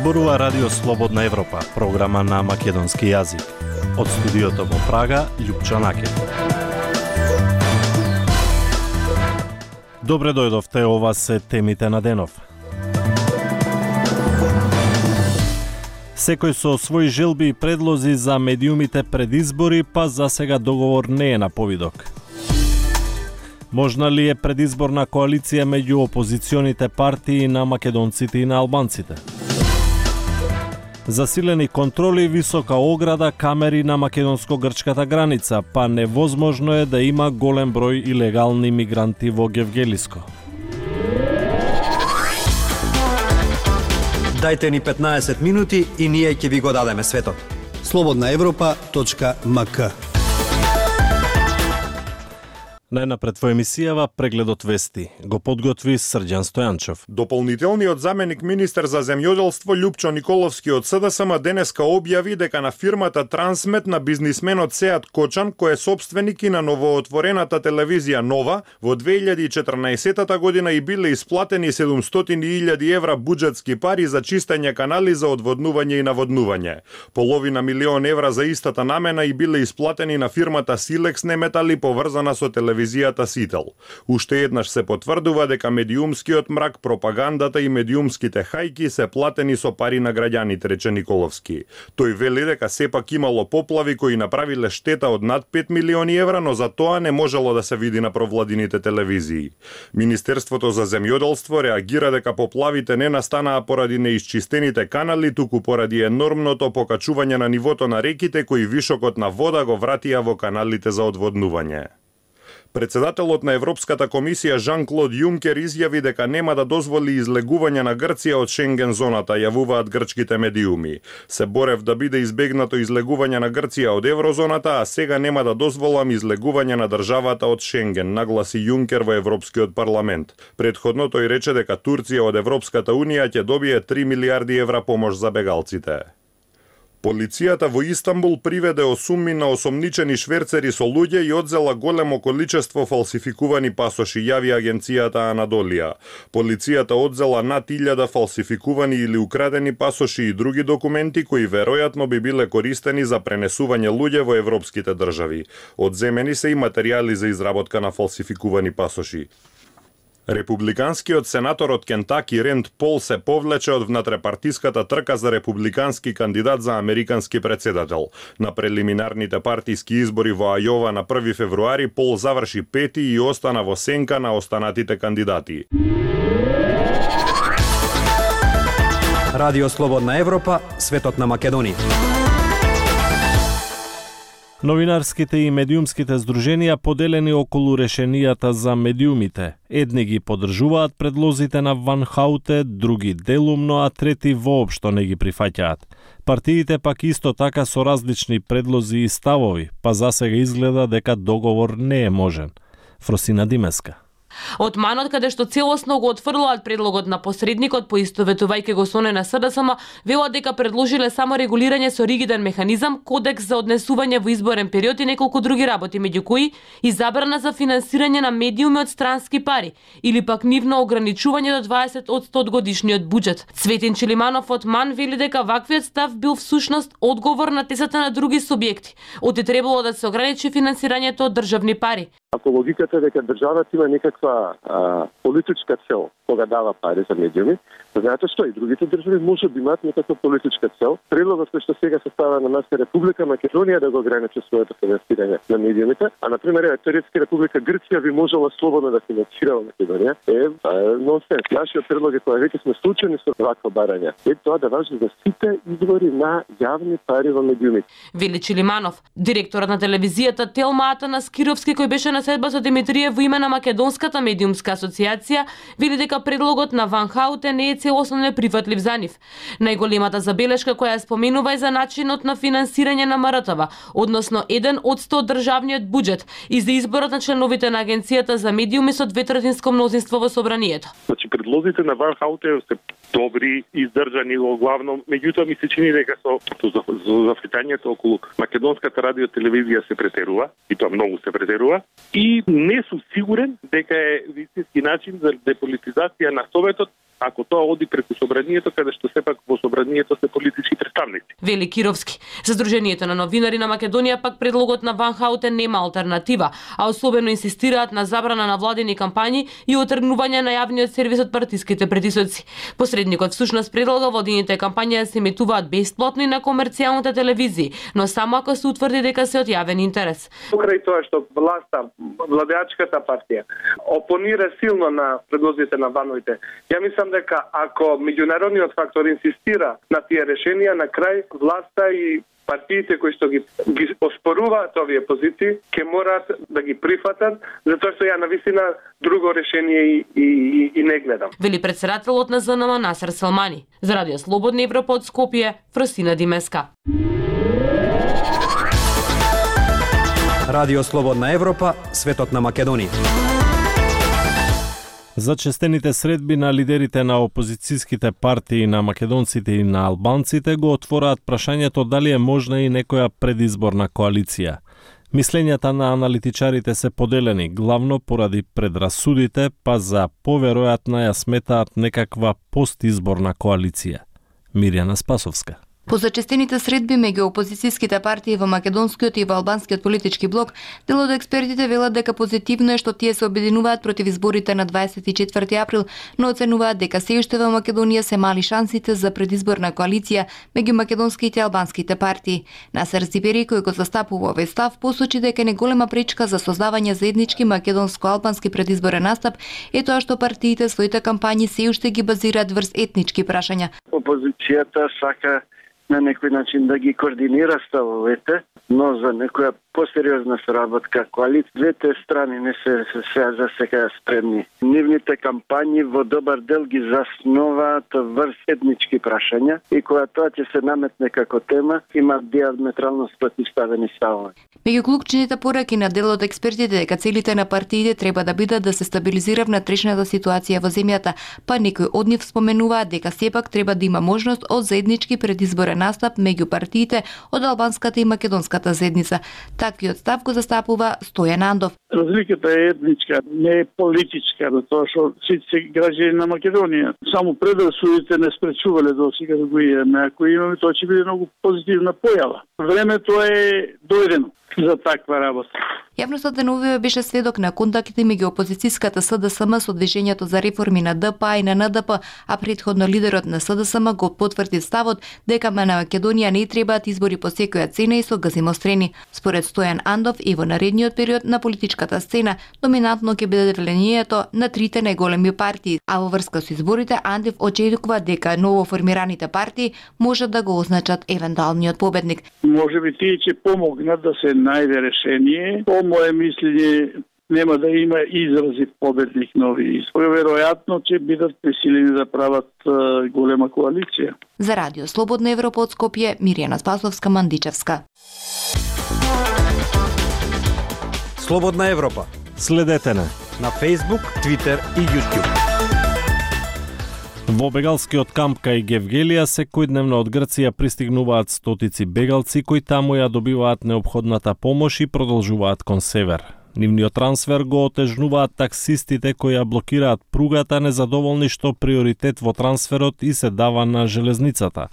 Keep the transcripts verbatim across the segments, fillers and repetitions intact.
Зборува Радио Слободна Европа, програма на македонски јазик. Од студиото во Прага, Љупчо Накев. Добре дојдовте, ова се темите на денов. Секој со своји желби и предлози за медиумите пред избори, па за сега договор не е на повидок. Можна ли е предизборна коалиција меѓу опозиционите партии на македонците и на албанците? Засилени контроли, висока ограда, камери на македонско-грчката граница, па невозможно е да има голем број илегални мигранти во Гевгелиско. Дајте ни петнаесет минути и ние ќе ви го дадеме светот. слободна европа точка ем ка. Најнапред во емисијава прегледот вести го подготви Срđan Стојанчов. Дополнителниот заменик министер за земјоделство Љупчо Николовски од СДСМ денеска објави дека на фирмата Трансмет на бизнисменот Сеат Кочан, кој е собственик и на новоотворената телевизија Нова, во две илјади и четрнаесетта година и биле исплатени седумстотини илјади евра буџетски пари за чистење канали за одводнување и наводнување. Половина милион евра за истата намена и биле исплатени на фирмата Силекс Неметали поврзана со телевизија телевизијата Сител. Уште еднаш се потврдува дека медиумскиот мрак, пропагандата и медиумските хајки се платени со пари на граѓаните, рече Николовски. Тој вели дека сепак имало поплави кои направиле штета од над пет милиони евра, но за тоа не можело да се види на провладините телевизии. Министерството за земјоделство реагира дека поплавите не настанаа поради неисчистените канали, туку поради енормното покачување на нивото на реките кои вишокот на вода го вратија во каналите за одводнување. Председателот на Европската комисија Жан-Клод Јункер изјави дека нема да дозволи излегување на Грција од Шенген зоната, јавуваат грчките медиуми. Се борев да биде избегнато излегување на Грција од еврозоната, а сега нема да дозволам излегување на државата од Шенген, нагласи Јункер во Европскиот парламент. Предходно тој рече дека Турција од Европската унија ќе добие три милиарди евра помош за бегалците. Полицијата во Истанбул приведе осумми на осомничени шверцери со луѓе и одзела големо количество фалсификувани пасоши, јави агенцијата Анадолија. Полицијата одзела над илјада фалсификувани или украдени пасоши и други документи кои веројатно би биле користени за пренесување луѓе во европските држави. Одземени се и материјали за изработка на фалсификувани пасоши. Републиканскиот сенатор од Кентаки Ренд Пол се повлече од внатрепартиската трка за републикански кандидат за американски председател. На прелиминарните партиски избори во Ајова на први февруари Пол заврши пети и остана во сенка на останатите кандидати. Радио Слободна Европа, светот на Македонија. Новинарските и медиумските здруженија поделени околу решенијата за медиумите. Едни ги поддржуваат предлозите на Ван Хауте, други делумно, а трети воопшто не ги прифаќаат. Партиите пак исто така со различни предлози и ставови, па засега изгледа дека договор не е можен. Фросина Димеска. Од манот каде што целосно го отфрлаат предлогот на посредникот, поистоветувајќи го со на СДСМ, велат дека предложиле само регулирање со ригиден механизам, кодекс за однесување во изборен период и неколку други работи, меѓу кои и забрана за финансирање на медиуми од странски пари или пак нивно ограничување до дваесет одсто од годишниот буџет. Цветин Чилиманов од МАН вели дека ваквиот став бил всушност одговор на тезата на други субјекти, оти требало да се ограничи финансирањето од државни пари. Ако логиката е дека државата има некаква а, политичка цел кога дава пари за медиуми, знаете што и другите држави може да имаат некаква политичка цел. Предлогот кој што сега се става на нас Република Македонија да го ограничи своето финансирање на медиумите, а на пример теоретски Република Грција би можела слободно да финансира Македонија, е, е нонсенс. Нашиот предлог е кога веќе сме случени со вакво барање, е тоа да важи за сите извори на јавни пари во медиумите. Вели Чилиманов, директорот на телевизијата Телма Атанас Кировски, кој беше на седба со Димитриев во име на Македонската медиумска асоциација, вели дека предлогот на Ван Хауте не е целосно неприфатлив за нив. Најголемата забелешка која ја споменува е за начинот на финансирање на МРТВ, односно еден одсто од државниот буџет и за изборот на членовите на Агенцијата за медиуми со дветретинско мнозинство во собранието. Значи предлозите на Ван Хауте се добри, издржани во главно, меѓутоа ми се чини дека со зафитањето околу македонската радио телевизија се претерува, и тоа многу се претерува, и не сум сигурен дека е вистински начин за деполитизација на Советот ако тоа оди преку собранието, каде што сепак во собранието се политички представници. Вели Кировски. За Сдруженијето на новинари на Македонија пак предлогот на Ван Хаутен нема алтернатива, а особено инсистираат на забрана на владини кампањи и отргнување на јавниот сервис од партиските притисоци. Посредникот всушност предлага владините кампањи да се емитуваат бесплатно и на комерцијалните телевизии, но само ако се утврди дека се од јавен интерес. Покрај тоа што власта, владеачката партија опонира силно на предлозите на Вановите, ја мислам дека ако меѓународниот фактор инсистира на тие решенија, на крај власта и партиите кои што ги, ги оспоруваат овие позиции, ќе мораат да ги прифатат, затоа што ја навистина друго решение и, и, и, и не гледам. Вели председателот на З Н М Насер Селмани. За Радио Слободна Европа од Скопје, Фросина Димеска. Радио Слободна Европа, светот на Македонија. За честените средби на лидерите на опозицијските партии на македонците и на албанците го отвораат прашањето дали е можна и некоја предизборна коалиција. Мислењата на аналитичарите се поделени, главно поради предрасудите, па за поверојатна ја сметаат некаква постизборна коалиција. Мирјана Спасовска. По зачестените средби меѓу опозицијските партии во македонскиот и во албанскиот политички блок, дел од експертите велат дека позитивно е што тие се обединуваат против изборите на дваесет и четврти април, но оценуваат дека се уште во Македонија се мали шансите за предизборна коалиција меѓу македонските и албанските партии. Насер Зибери, кој го застапува овој став, посочи дека не голема пречка за создавање заеднички македонско-албански предизборен настап е тоа што партиите своите кампањи се уште ги базираат врз етнички прашања. Опозицијата сака на некој начин да ги координира ставовете, но за некоја посериозна соработка коалиција двете страни не се се, се за сега спремни. Нивните кампањи во добар дел ги заснуваат врз етнички прашања и кога тоа ќе се наметне како тема, има диаметрално спротивставени ставови. Меѓу клучните пораки на дел од експертите дека целите на партиите треба да бидат да се стабилизира внатрешната ситуација во земјата, па некои од нив споменуваат дека сепак треба да има можност од заеднички предизборен настап меѓу партиите од албанската и македонската заедница. Таквиот став го застапува Стојан Андов. Разликата е етничка, не е политичка, затоа што сите се граѓани на Македонија. Само предрасудите не спречувале до сега да го имаме. Ако имаме, тоа ќе биде многу позитивна појава. Времето е дојдено за таква работа. Јавноста деновиве беше сведок на контакти меѓу опозицијската С Д С М со движењето за реформи на Д П А и на Н Д П, а претходно лидерот на С Д С М го потврди ставот дека на Македонија не требаат избори по секоја цена и со газимострени. Според Стојан Андов и во наредниот период на политичката сцена доминантно ќе биде влијанието на трите најголеми партии, а во врска со изборите Андов очекува дека ново формираните партии можат да го означат евентуалниот победник. Може би тие ќе помогнат да се најде решение. По мое мислење нема да има изрази победник нови избори. Веројатно ќе бидат присилени да прават uh, голема коалиција. За Радио Слободна Европа од Скопје, Мирјана Спасовска, Мандичевска. Слободна Европа. Следете на на Facebook, Twitter и YouTube. Во бегалскиот камп кај Гевгелија секојдневно од Грција пристигнуваат стотици бегалци кои таму ја добиваат неопходната помош и продолжуваат кон север. Нивниот трансфер го отежнуваат таксистите кои ја блокираат пругата, незадоволни што приоритет во трансферот и се дава на железницата.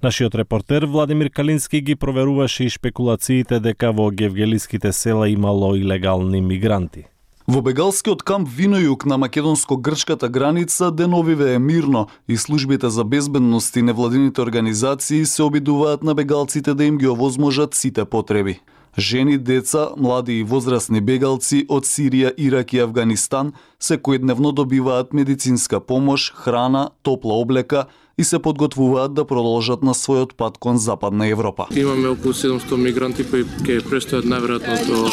Нашиот репортер Владимир Калински ги проверуваше и шпекулациите дека во гевгелиските села имало илегални мигранти. Во бегалскиот камп Винојук на македонско-грчката граница деновиве е мирно и службите за безбедност и невладините организации се обидуваат на бегалците да им ги овозможат сите потреби. Жени, деца, млади и возрастни бегалци од Сирија, Ирак и Авганистан секојдневно добиваат медицинска помош, храна, топла облека и се подготвуваат да продолжат на својот пат кон Западна Европа. Имаме околу седумсто мигранти кои ќе престојат најверојатно до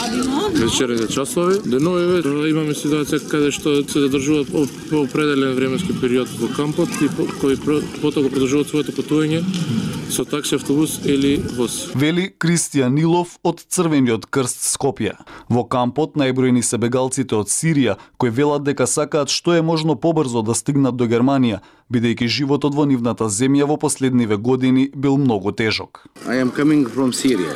вечерните часови. Деновиве имаме ситуација каде што се задржуваат по определен временски период во кампот и кои потоа го продолжуваат своето патување со такси, автобус или воз. Вели Кристијан Нилов од Црвениот крст Скопје. Во кампот најбројни се бегалците од Сирија кои велат дека сакаат што е можно побрзо да стигнат до Германија, бидејќи животот во нивната земја во последниве години бил многу тежок. I am coming from Syria,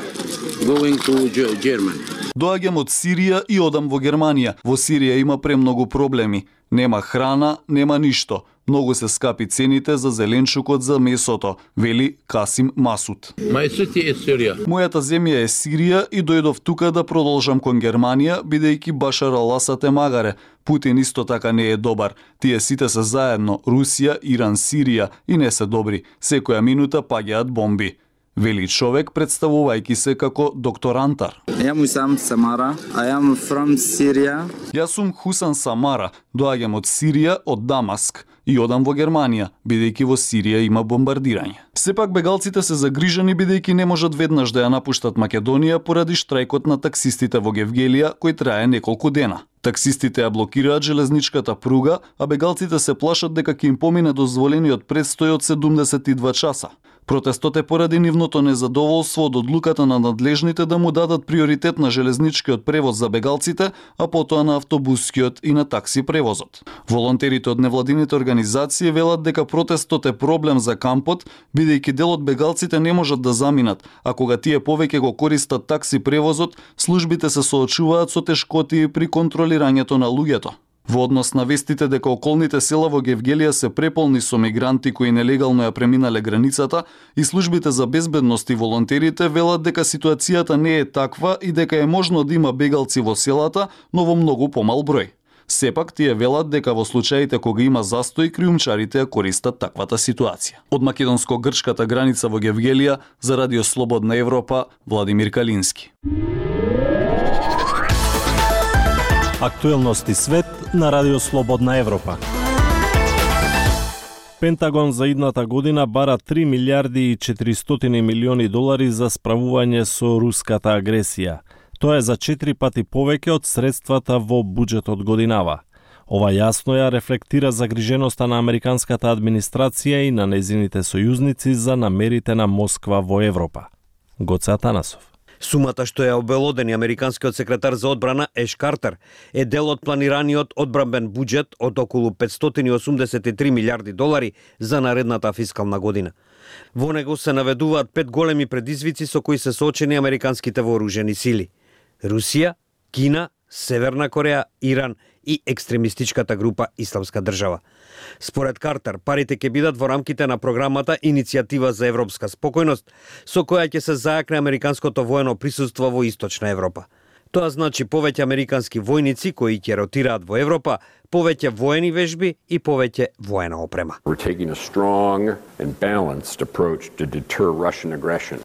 going to Germany. Доаѓам од Сирија и одам во Германија. Во Сирија има премногу проблеми. Нема храна, нема ништо. Многу се скапи цените за зеленчукот за месото, вели Касим Масуд. Мојата земја е Сирија и дојдов тука да продолжам кон Германија, бидејќи Башар ал-Асад е магаре. Путин исто така не е добар. Тие сите се заедно, Русија, Иран, Сирија, и не се добри. Секоја минута паѓаат бомби. Вели човек представувајќи се како доктор Антар. I am Hussam Samara. I am from Syria. Јас сум Хусан Самара, доаѓам од Сирија, од Дамаск, и одам во Германија, бидејќи во Сирија има бомбардирање. Сепак бегалците се загрижени бидејќи не можат веднаш да ја напуштат Македонија поради штрајкот на таксистите во Гевгелија кој трае неколку дена. Таксистите ја блокираат железничката пруга, а бегалците се плашат дека ќе им помине дозволениот престој од седумдесет и два часа. Протестот е поради нивното незадоволство од одлуката на надлежните да му дадат приоритет на железничкиот превоз за бегалците, а потоа на автобускиот и на такси превозот. Волонтерите од невладините организации велат дека протестот е проблем за кампот, бидејќи дел од бегалците не можат да заминат, а кога тие повеќе го користат такси превозот, службите се соочуваат со тешкотии при контролирањето на луѓето. Во однос на вестите дека околните села во Гевгелија се преполни со мигранти кои нелегално ја преминале границата, и службите за безбедност и волонтерите велат дека ситуацијата не е таква и дека е можно да има бегалци во селата, но во многу помал број. Сепак тие велат дека во случаите кога има застој, криумчарите ја користат таквата ситуација. Од македонско-грчката граница во Гевгелија за Радио Слободна Европа, Владимир Калински. Актуелности свет на Радио Слободна Европа. Пентагон за идната година бара три милиарди и четиристотини милиони долари за справување со руската агресија. Тоа е за четири пати повеќе од средствата во буџетот годинава. Ова јасно ја рефлектира загриженоста на американската администрација и на незините сојузници за намерите на Москва во Европа. Гоце Атанасов. Сумата што ја обелодени американскиот секретар за одбрана Еш Картер е дел од планираниот одбранбен буџет од околу петстотини и осумдесет и три милиарди долари за наредната фискална година. Во него се наведуваат пет големи предизвици со кои се соочени американските вооружени сили: Русија, Кина, Северна Кореја, Иран и екстремистичката група Исламска држава. Според Картер, парите ќе бидат во рамките на програмата Иницијатива за европска спокојност, со која ќе се зајакне американското воено присуство во Источна Европа. Тоа значи повеќе американски војници кои ќе ротираат во Европа, повеќе воени вежби и повеќе воена опрема.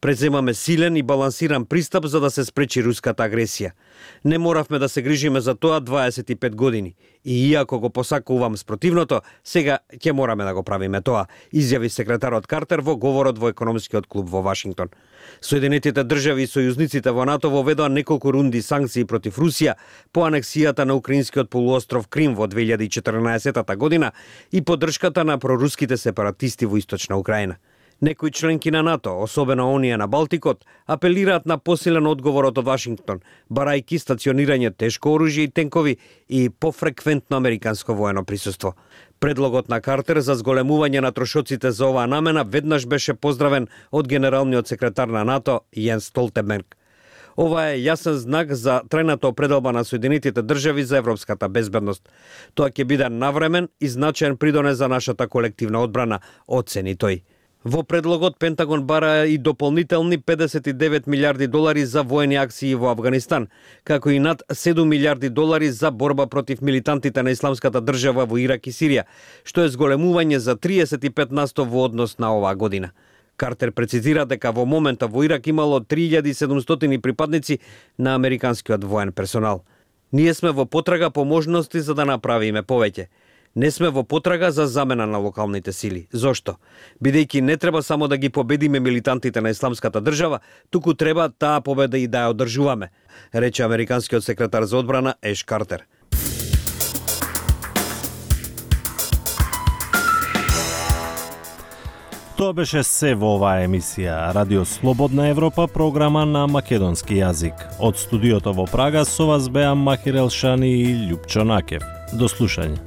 Преземаме силен и балансиран пристап за да се спречи руската агресија. Не моравме да се грижиме за тоа дваесет и пет години. И иако го посакувам спротивното, сега ќе мораме да го правиме тоа, изјави секретарот Картер во говорот во економскиот клуб во Вашингтон. Соединетите држави и сојузниците во НАТО воведоа неколку рунди санкции против Русија по анексијата на украинскиот полуостров Крим во две илјади и четрнаесетта година и поддршката на проруските сепаратисти во Источна Украина. Некои членки на НАТО, особено оние на Балтикот, апелираат на посилен одговор од Вашингтон, барајќи стационирање тешко оружје и тенкови и пофреквентно американско воено присуство. Предлогот на Картер за зголемување на трошоците за оваа намена веднаш беше поздравен од генералниот секретар на НАТО Јенс Столтенберг. Ова е јасен знак за трајната определба на Соединетите држави за европската безбедност. Тоа ќе биде навремен и значаен придонес за нашата колективна одбрана, оцени тој. Во предлогот Пентагон бара и дополнителни педесет и девет милиарди долари за воени акции во Авганистан, како и над седум милиарди долари за борба против милитантите на Исламската држава во Ирак и Сирија, што е зголемување за триесет и пет на сто во однос на оваа година. Картер прецизира дека во момента во Ирак имало три илјади и седумстотини припадници на американскиот воен персонал. Ние сме во потрага по можности за да направиме повеќе. Не сме во потрага за замена на локалните сили. Зошто? Бидејќи не треба само да ги победиме милитантите на Исламската држава, туку треба таа победа и да ја одржуваме, рече американскиот секретар за одбрана Еш Картер. Тоа беше се во оваа емисија. Радио Слободна Европа, програма на македонски јазик. Од студиото во Прага со вас беа Махир Елшани и Љупчо Накев. До слушање.